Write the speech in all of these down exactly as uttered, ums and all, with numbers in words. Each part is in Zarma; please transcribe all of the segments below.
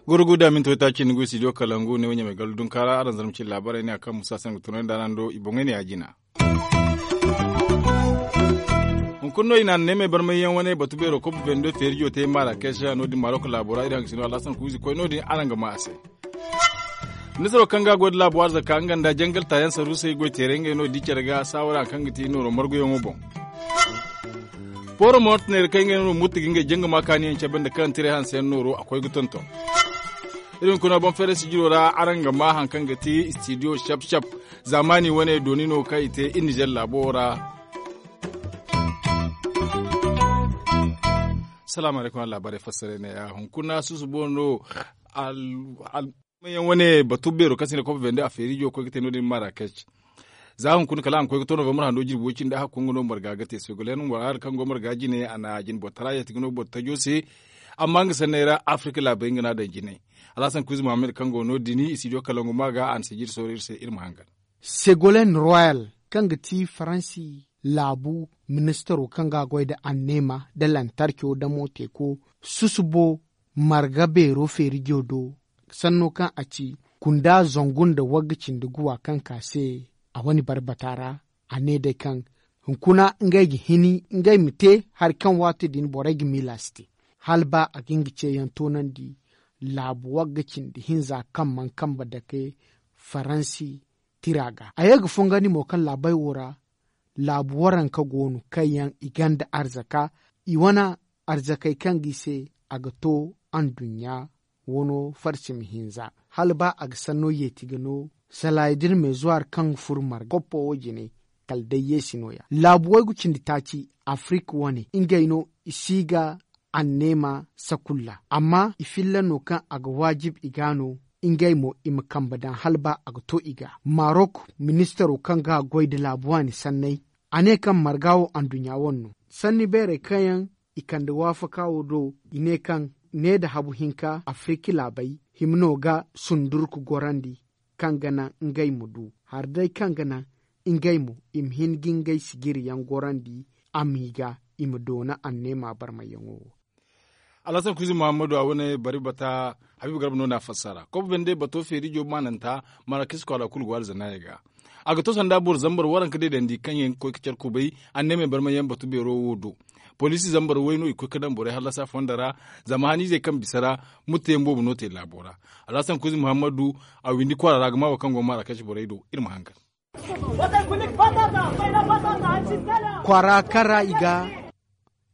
Gurgu da minti waytaaci ni go i studio kalangu ne wo ɲamay gallu dunkaara araŋ zarma cine laabaarey ne a kaŋ musa se nga tunandi araŋ do i boŋey ne ya jina. Hunkuna no i na anneemey barmayyaŋ wane batu beero kob bendo feerijo te marakes no- din marok laabo ra iri hangasino alhasan kuuzi koy no- din araŋ ga maa a se. Ministaro kaŋ ga a goy nda laabo arzaka nga nda jangal taayaŋ saruusey goy teeray ngey no di care ga saawara hari kaŋ ga ti nooro marguyaŋo boŋ. Pooro moonta neera kaŋ ngey no murta ga ngey janga ma kaaniyaŋ cabe nda kaŋ tiray hanseyaŋ nooro a koy ga tonton. Iri hunkuna boŋ feere sijiro ra araŋ ga maa hari kaŋ ga ti studio cap cap. Zaamaani wane dooni no kaŋ i te iri nizer laabo wo ra. Salaamu alaykum araŋ laabaarey fassarey ne ya hunkuna susubo no. Manyaŋ wane batu beero kaŋ se i ne kopo bende a feerijo koy ga te no- din marakes. Za hunkuna kala a ma koy ga to novembre hando jirbi way cindi a hakku nga no marga ga te segolen waraara kaŋ go marga jine a na jine boro tara yeeti ga no boro tajo se. Amma nga sanney ra afrika laabey nga no a daŋ jine. Alhasan kuuzi muhammad kaŋ go no- din i si diyo kalangu ma ga a na sijiri sooro iri se iri ma hangan. Segolen royal kaŋ ga ti faransi laabu ministaro kaŋ ga a goy nda anneema nda lantarco nda mooteeko susubo marga beero feerijo do. Sanno kaŋ a ci kunda zangu nda wagga cindi guwa kaŋ ka se a wane barbata ra. A ne day kaŋ hunkuna ngey ga hini ngey ma te hari kaŋ waati din borey ga miila si te hala ba a ga nga ceeyaŋ toonandi laabu wagga cindi hinza kaŋ mana kambe dake faransi tira ga a ye ga fongandi mo kaŋ laabey wo ra. Laabu waranka go no kaŋ yaŋ i gonda arzaka i wane arzakey kaŋ ga i se a ga to anduɲɲa wano farsimi hinza hala ba a ga sanno yeeti ga no salaya da iri meezuwaari kaŋ ga furo marga koppo wo jine. Kala day yeesi no- ya laabu waygu cindi taaci afirika wane ngey no i si ga anneema sakulla amma i filla no kaŋ a ga waajib i ga no ngey mo i ma kambe daŋ hala ba a ga to i ga. Marok ministaro kaŋ ga a goy nda laabu waani sanney a ne kaŋ marga wo anduɲɲa wane no sanni beerey kaŋ yaŋ i kande waafaka wo do i ne kaŋ ne nda habu hinka afirika laabey hima no ga sundurku gorandi kaŋ ga naŋ ngey ma du hari day kaŋ ga naŋ ngey mo i ma hin ga ngey sijiriyaŋ gorandi a m'i ga i ma doona anneema barmayyaŋo wo. Alhasan kuuzi muhammadu a wane bari bata habiibu garba no na fassara kobo binde bato feerijo maananta marakis kwaara kulu go alzanaayey ga. A ga to sanda boro zambar waranka deedandi kaŋ yaŋ ga koy ga care kubay anneemey barmayyaŋ batu beero wo do. Poliisi zambar way no i ga koy ga daŋ borey hallasa fondo ra. Zama haniizey kaŋ bisa ra murtayaŋ boobo no te laabo ra. Alhasan kuuzi muhammadu a windi kwaara ra ga maa wo kaŋ go ga marakis borey do iri ma hangan. Kwaara kaŋ ra i ga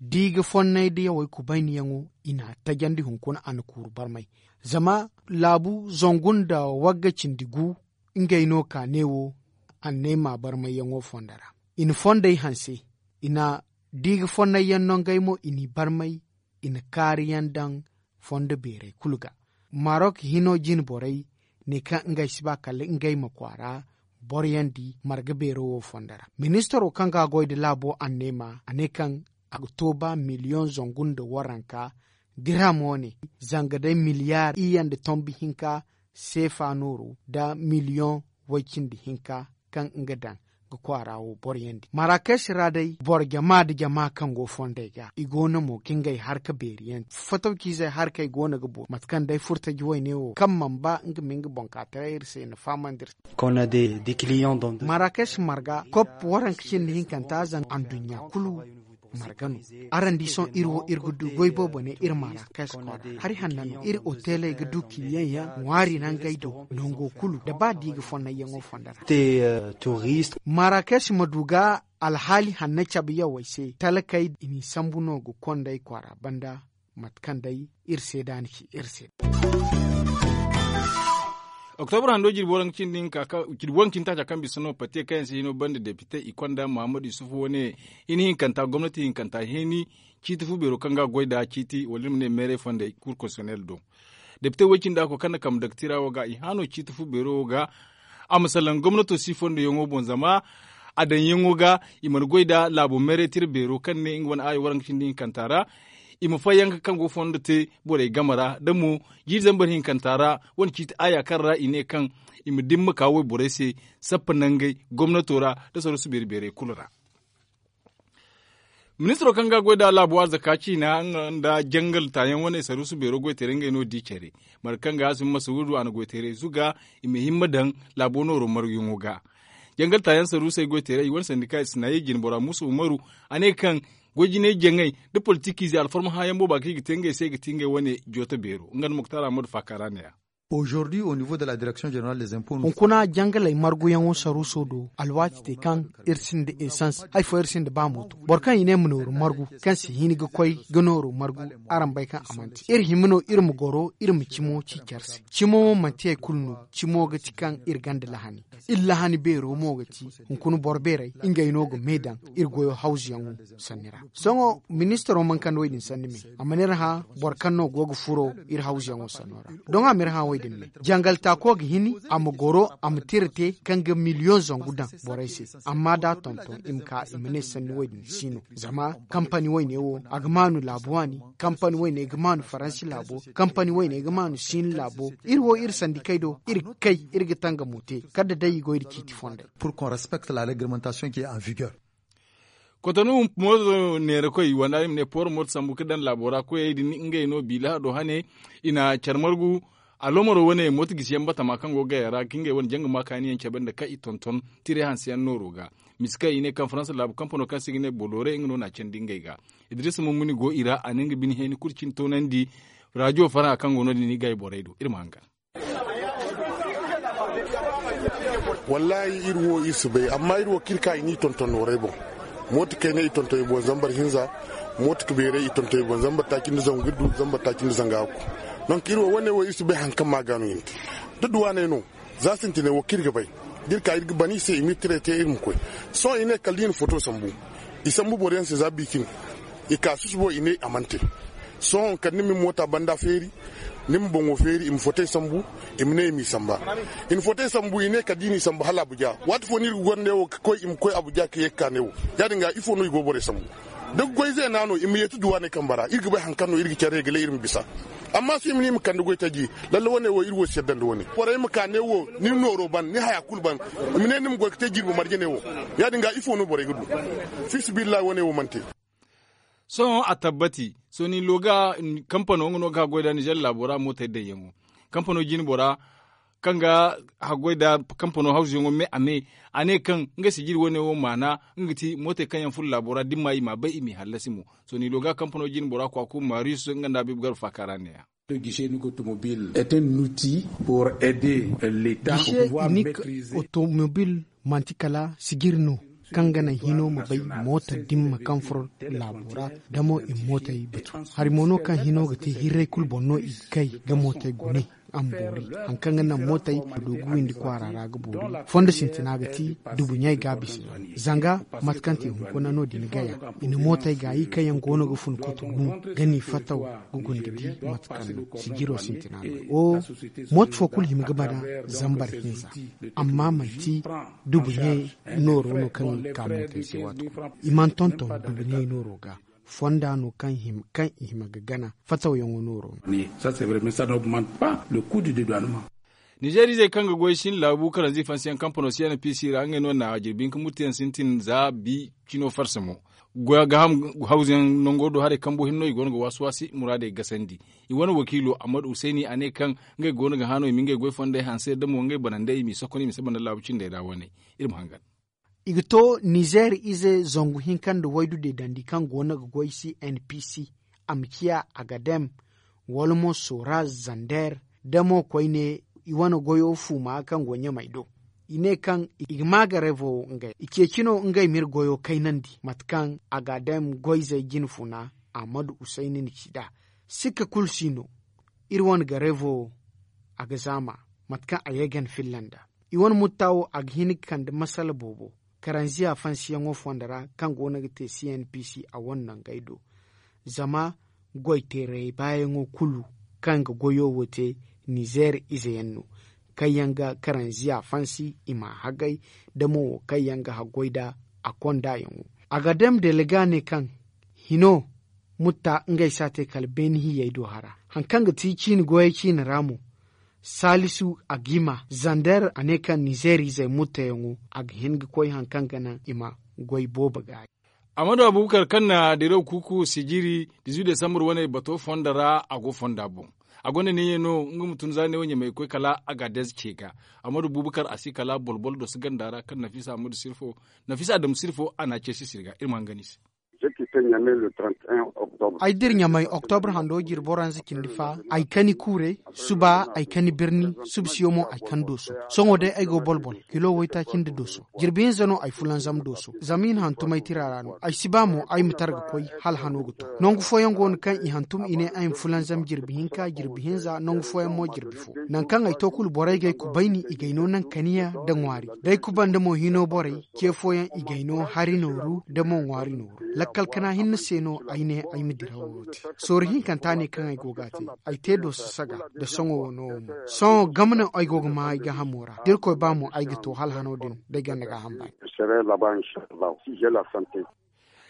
di ga fonnay da yawey kubayniyaŋo i n'a tajandi hunkuna a na kuuru barmay. Zama laabu zangu nda wagga cindi gu ngey no ka ne wo anneema barmayyaŋo fondo ra. I na fondey hanse i na di ga fonnayyaŋ no ngey mo i n'i barmay i na kaariyaŋ daŋ fondo beerey kulu ga. Marok hino jine borey ne kaŋ ngey si ba kala ngey ma kwaara boroyandi marga beero wo fondo ra. Ministaro kaŋ ga a goy nda laabo anneema a ne kaŋ a ga to ba miliyoŋ zangu nda waranka dirham wane zanga day miliyaar iyye nda tombi hinka seefa nooru nda miliyoŋ way cindi hinka kaŋ nga daŋ ga kwaara wo boroyandi marakes ra day boro jama nda jama kaŋ go fondey ga i go no mo ga ngey harka beeriyaŋ. Fotowciizey harkey go no ga boori mate kaŋ day furtaji wayne wo kaŋ mana ba nga ma nga boŋ ka taray iri se na fahamandi iri se. Marakes marga kop waranka cindi hinkanta zanga anduɲɲa kulu marga no. Araŋ di sohõ iri wo iri ga du goy boobo ne iri marakes kwaara hari hanna no iri oteley ga du kiliyaŋ yaŋ ŋwaari nangey do nango kulu nda ba di ga fonnayyaŋo fondo ra. Marakes ma du ga alhaali hanna cabe yawey se talkey i n'i sambu no ga kondey kwaara banda. Mate kaŋ day iri seeda ni ci iri se. Oktobra hando jirbi waranka cindi hinka jirbi waranka cindi taaca kaŋ bisa no pate kaŋ yaŋ se hino banda depite i konda muhammadu yusufu wane hini hinkanta gomnati hinkanta hini ciiti fu beero kaŋ ga goy nda ciiti wala iri ma ne meerey fondey kur konsiyonel do. Depite way cindi a koy kaŋ na kambe daga tira wo ga i hano ciiti fu beero wo ga a ma salaŋ gomnato si fondoyaŋo boŋ zama a daŋyaŋo ga i mana goy nda laabo meerey tira beero kaŋ ne nga wane aayo waranka cindi hinkanta ra. i ma fayyaŋ kaŋ go fondo te borey game ra da mo jiiri zambar hinkanta ra wane ciiti aaya kaŋ ra i ne kaŋ i ma dimma ka wayborey se sappa nangey gomnato ra nda saruusu beeri beerey kulu ra. Ministiro kaŋ ga a goy nd'a laabo arzaka ciina nga nda jangal taayaŋ wane saruusu beero goy teeray ngey no di care mate kaŋ ga a si ma masuruudu a na goy teeray zuga i ma himma daŋ laabo nooro marguyaŋo ga. Jangal taayaŋ saruusey goy teeray i wane sandika i si naayey jinbora muusa umaru a ne kaŋ goy jinay jaŋay nda politikiize alfarma hãayaŋ booba kaŋ i ga te ngey se ga ti ngey wane jooto beero nga nda muktar ahmadu faaka ra ne- ya. Hunkuna jangaley marguyaŋo saruuso do alwaati te kaŋ iri sinda esans hari fo iri sinda ba mooto boro kaŋ i ne ma nooru margu kaŋ si hin ga koy ga nooru margu. Araŋ bay kaŋ a mana te iri hima no iri ma goro iri ma cimo ci care se. Cimo wo manti hari kulu no cimo ga ti kaŋ iri ganda lahani. Iri lahani beero mo ga ti hunkuna boro beerey ngey no ga me daŋ iri goyo hawzuyaŋo sanni ra. Sohõ ministaro mana kande wo-din sanni me a mana iri hã boro kaŋ no go ga furo iri hawzuyaŋo sanno ra. Doŋ a ma iri hã wo-din me jangal taako ga hin a ma goro a ma tira te kaŋ ga miliyoŋ zangu daŋ borey se. Amma da a tonton i ma ka i ma ne sanni wo-din si no zama kampani wayne wo a ga maanu laabu waani. Kampani wayne ga maanu faransi laabo. Kampani wayne ga maanu siini laabo. Iri wo iri sandikey do iri ga kay iri ga tangamo te kala da day i goy nda ciiti fondey. Kotonu mooto neerakoy wanda i ma ne pooro mooto sambu ga daŋ laabo ra koyey din ngey no biila hado hane. I na care margu aloomaro wane mooto gisiyaŋ batama kaŋ go ga gaya ra ga ngey wane janga ma kaaniyaŋ cabe nda kaŋ i tonton tiray hanseyaŋ nooro ga. Misi kaŋ i ne kaŋ faransa laabu kampano kaŋ se i ga ne bolore nga no na a candi ngey ga. Idiriisa mummuni go i ra a na nga bine heeni kulu cine toonandi. Raajiyo farhã kaŋ go no- din i ga ay borey do iri ma hangan. Wallaahi iri wo iri si bay amma iri wo kaŋ iri ka i n'i tonton nooray boŋ. Mooto kayna i tonton i boŋ zambar hinza. Mooto beeray i tonton i boŋ zambar taaci nda zangu iddu zambar taaci nda zanga hakku. Donk iri wo wane wo iri si bay hari kaŋ ma ga no i na te da duwaaney no. Za sintinay wo kaŋ iri ga bay da iri ka iri ga ban i se i ma iri tiray te iri ma koy. Sohõ i ne kala da i na foto sambu i sambu boro yaŋ se za biikin. I ka susubo i ne a mana te. Sohõ kala ni ma ni moota banda feeri ni ma boŋo feeri i ma fotey sambu. I ma ne i m'i samba. I na fotey sambu i ne kala da i n'i samba hala abuja waati fo no iri ga goro ne wo ga koy i ma koy abuja ka ye ga ka ne wo. Ya- din ga ifo no i go borey sambu da ga goy zeena no i ma yeeti duwaaney kambe ra iri ga bay hari kaŋ no iri ga care ga lay iri ma bisa. Amma sohõ i ma ne i ma kande goy taji lalle wane wo iri wo si yadda nda wane borey ma ka ne wo ni nooro ban ni haya kulu ban. I ma ne ni ma goy ga te jirbi marje ne wo. Ya- din ga ifo no borey ga du? Fiisabilillahi wane wo mana te. Sohõ a tabbati sohõ ni looga kampano nga no ga haggoy nd'a nizer laabo ra mootey daŋyaŋo. Kampano jine bora kaŋ ga haggoy nd'a kampano hawzuyaŋo me a me a ne kaŋ nga sijiri wane wo maana nga ga ti mootey kaŋ yaŋ furo laabo ra da ni m'a i m'a bay i m'i hallasi mo. Sohõ ni looga kampano jine bora kwaku mariyus nga nda a biibu garba faaka ra ne- ya. Gishe inik otomobil manti kala sijiri no kaŋ ga naŋ hino ma bay moota dimma kaŋ furo laabo ra. Da mo i ma mootey batu hari mo no kaŋ hino ga te hirray kulu boŋ no i ga kay ga mootey gune. A ma boori hari kaŋ ga naŋ mootey ma du ga windi kwaara ra ga boori. Fondo sintina ga ti dubu ɲey ga a bisa yaŋ zanga mate kaŋ te hunkuna no- din gaya. I na mootey gaayi kaŋ yaŋ go no ga fun kotu gu ga n'i fattaw ga guna ga di mate kaŋ no sijiro sintina no. Mooto fo kulu hima ga bana zambar hinza. Amma manti dubu ɲey nooro no kaŋ i ga ka mootey se waati kulu i mana tonton dubu ɲey nooro ga. Fonda no kaŋ i hima ga gana fattawyaŋo nooro no. Nizeer izey kaŋ ga goy sin laabu karanzi fansiyaŋ kampano si n p c ra ngey no na jirbi hinka murteyaŋ sintin za bi cino farsa mo. Goy a ga ham hawzuyaŋ nango do haray kambu hinno i go no ga waasi-waasi muraadey gasandi. I wane wakiilo ammadu husayni a ne kaŋ ngey go no ga hã no i ma ngey goy fondey hanse da mo ngey banandey i m'i sokon i ma saba nda laabu cindey ra wane. Iri ma hangan. I ga to nizeer ize zangu hinka nda waydu deedandi kaŋ go no ga goy si n p c a ma ciya agadem wala mo sora zander da mo koyne i wane goyo fuuma kaŋ go ɲamey do. I ne kaŋ i ga ma ga revo wo ngey i ceeci no ngey ma iri goyo kaynandi mate kaŋ agadem goyzey jinfuna ahmadu husayni na ci nd'a. Sikka kulu si no iri wane ga revo wo a ga zaama mate kaŋ a ye ga ni filla nd'a. I wane mutta wo a ga hin ga kande masala boobo. Karanziya fansiyaŋo fondo ra kaŋ go no ga te c n p c a wane nangey do. Zama goy teerey baayaŋo kulu kaŋ ga goyo wo te nizeer ize yaŋ no. Kaŋ yaŋ ga karanziya fansi i m'a hagay da mo wo kaŋ yaŋ ga haggoy nd'a a konda yaŋo. A ga dam delega ne kaŋ hino mutta ngey si a te kala beeni hiyey do hara. Hari kaŋ ga ti ciine goyey ciine ra mo, saalisu a ga i ma zander a ne kaŋ nizeer izey muttayaŋo a ga hin ga koy hari kaŋ ga naŋ i ma goy boobo gaari. Amadu abubakar kaŋ na diraw kuuku sijiri dizuwi desambur wane bato fonda ra a go fonda boŋ. A gonda neeya no nga ma tun za ne wo ɲamay ga koy kala a ga a deeze ce ga. Amadu abubakar a si kala bolbol doso ganda ra kaŋ nafisa amadu sirfo nafisa adamu sirfo a na a ceesi sirga iri ma hangan i se. Ay dira ɲamay oktobra hando jirbi waranza cindi fa ay kani kuurey, suba ay kani birni, subsiyo mo ay kani dooso. Sohõ day ay go bolbol kilo waytaaci nda dooso. Jirbi hinza no ay fulanzam dooso zama i na hantum ay tira ra no ay si ba mo ay ma tara ga koy hala hano ga to. Nangu fooyaŋ go no kaŋ i hantum i ne ay ma fulanzam jirbi hinka jirbi hinza nangu fooyaŋ mo jirbi fo. Nangu kaŋ ay to kulu borey ga ay kubayni i ga ay no naŋ kaniya nda ŋwaari da ay kubanda mo hino borey. Ce fooyaŋ i ga ay no hari nooru nda mo ŋwaari nooru. Lakkal kana hinne se no ay ne ay ma dirawo wo te. Sooru hinkanta ne kaŋ ay go ga a te. Ay te dooso saga nda sohõ wo no wo mo. Sohõ game no ay go ga ma ay gaahamo ra da irkoy ba mo ay ga to hala hano din da ay gonda gaaham baani.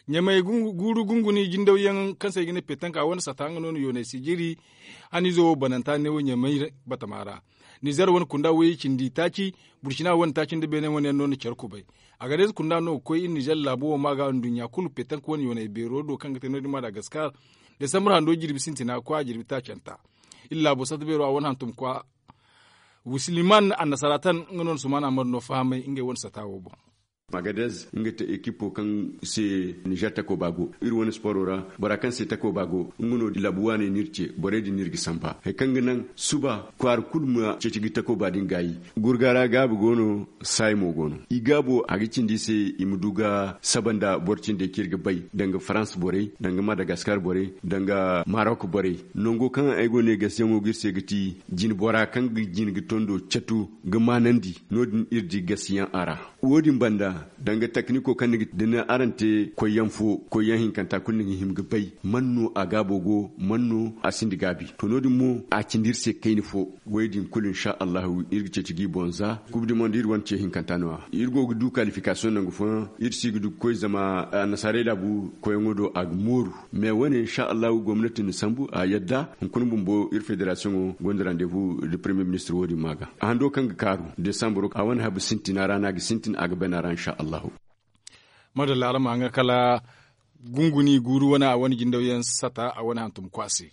Ɲamey guuru gunguni jindawyaŋ kaŋ se i ga ne petanka wane sata nga no na yoonay sijiri. Haniizo wo bananta ne wo ɲamey batama ra. Nizer wane kunda wayey cindi taaci, burcina wane taaci nda beene wane yaŋ no na care kubay. A ga day ize kunda no ga koy iri nizer laabo wo ma ga nduɲɲa kulu petanka wane yoonay beero do kaŋ ga te no- din madagaskar. Desambur hando jirbi sintina kwa jirbi taacanta. Iri laabo sata beero a wane hantum kwa. Wusliman annasara tan nga no na sumaana mar no fahamay ngey wane sata wo boŋ. Agadez nga te ekipo kaŋ se nizer takooba go iri wane sporo ra. Bora kaŋ se takooba go nga no laabu waaney no iri ce borey din no iri ga samba hari kaŋ ga naŋ suba kwaara kulu ma ceeci ga takooba din gaayi. Gurga ra gaabi go no saayi mo go no i gaabo a ga cindi i se i ma du ga saba nda boro cindey kaŋ iri ga bay danga farans borey danga madagaskar borey danga marok borey. Nango kaŋ ay go ne gasiyaŋo ga iri se ga ti jine bora kaŋ ga jine ga tondo catu ga maanandi no- din iri di gasiyaŋ a ra. Wo- din banda danga takniko kaŋ ni ga da ni araŋ te koyyaŋ fo koyyaŋ hinkanta kulu ni ga hima ga bay man no a gaabo go man no a sinda gaabi to no- din mo a cindi iri se kayna fo. Wo- din kulu insa allahu iri ga ceeci ga i boŋ za kubu di mondo iri wane ce hinkanta no- ya iri go ga du kalifikasiyoŋ nangu fooyaŋ iri si ga du ga koy zama annasaarey laabu koyyaŋo do a ga mooru. Mais wane insa allahu gomnati na sambu a yadda hunkuna bumbo iri federasiyoŋo gonda randevu nda premier ministir wo- din ma ga a hando kaŋ ga kaaru desambur a wane habu sintina ra no a ga sintin a ga bana ra insa allahu. Madalla araŋ ma haŋa kala gunguni guuru wane a wane jindawyaŋ sata a wane hantum kwaase.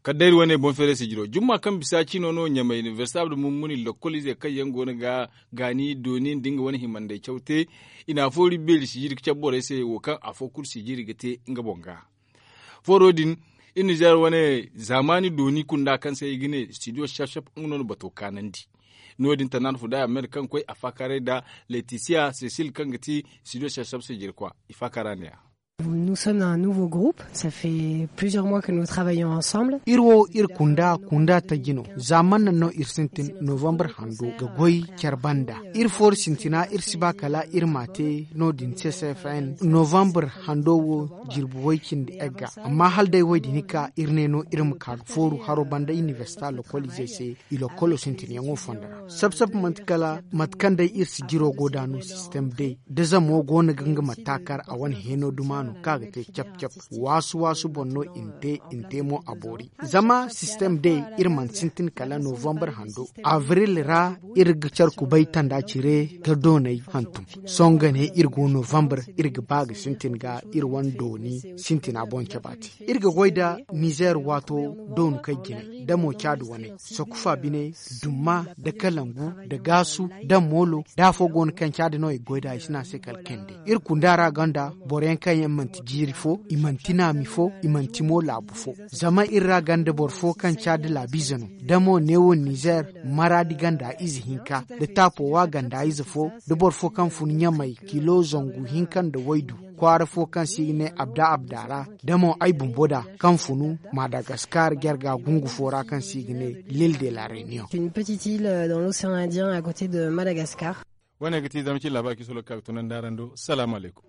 Kala day iri wane boŋ feeray sijiro jumma kaŋ bisa cino no ɲamay inibersita abdu mummuni lokkol izey kaŋ yaŋ go no ga gaani dooni nda nga wane himandey caw te. I na afo iri beeri sijiri ga cabe borey se wo kaŋ afo kulu sijiri ga te nga boŋ ga. Fooro din iri nizer wane zaamaani dooni kunda kaŋ se i ga ne studio shaf shaf nga no na bato kaanandi. No- din tanaana fuda amer kaŋ koy a faakaaray nda letisiya sesil kaŋ ga ti studio shaf shaf sijirkwa i faakaara ne ya. Nous sommes un nouveau groupe. Ça fait plusieurs mois que nous travaillons ensemble. Iri wo iri kunda kunda taji no zaamaana no iri sintin novembre hando ga goy care banda. Iri fooru sintina iri si ba kala iri ma a te no- din ccfn novembre hando wo jirbi way cindi egga amma hala day wo- din ka iri ne no iri ma ka ga fooru haro banda inibersita lokol izey se. I lokkolo sintinyaŋo fondo ra sab sab manti kala mate kaŋ day iri sijiro go da no sistem day da zamo go no ga nga ma taakar a wane heeno duma no kaŋ a ga te cap cap. Waasu waasu boŋ no i na te i na te mo a boori zama sistem day iri mana sintin kala novembre hando avril ra. Iri ga care kubay tanda cire ga doonay hantum sohõ ga ne iri go novembre iri ga ba ga sintin ga iri wane dooni sintina boŋ cabe a te. Iri ga goy nda nizer waato doonu kay jinay da mo caadi wane sakufa bine dumma da kalangu da gaasu da moolo da afo go no kaŋ caadi no i ga goy nda i si ne a se kala kande. Iri kunda ra gonda boro yaŋ kaŋ yaŋ manti jiiri fo i manti naami fo i manti mo laabu fo. Zama iri ra gonda boro fo kaŋ caadi laabiize no da mo neewo nizer maraadi ganda ize hinka da taapowa ganda ize fo da boro fo kaŋ fun ɲamay kilo zangu hinka nda waydu kwaara fo kaŋ se i ga ne abda abda ra da mo ay bumbo da kaŋ funu madagaskar jarga gungu fo ra kaŋ se i ga ne lil de la reunion. Une petite île dans l'océan indien à côté de madagascar. Wane ga ti zama ci labaari kiso lokal tunandi araŋ do salaamu alaykum.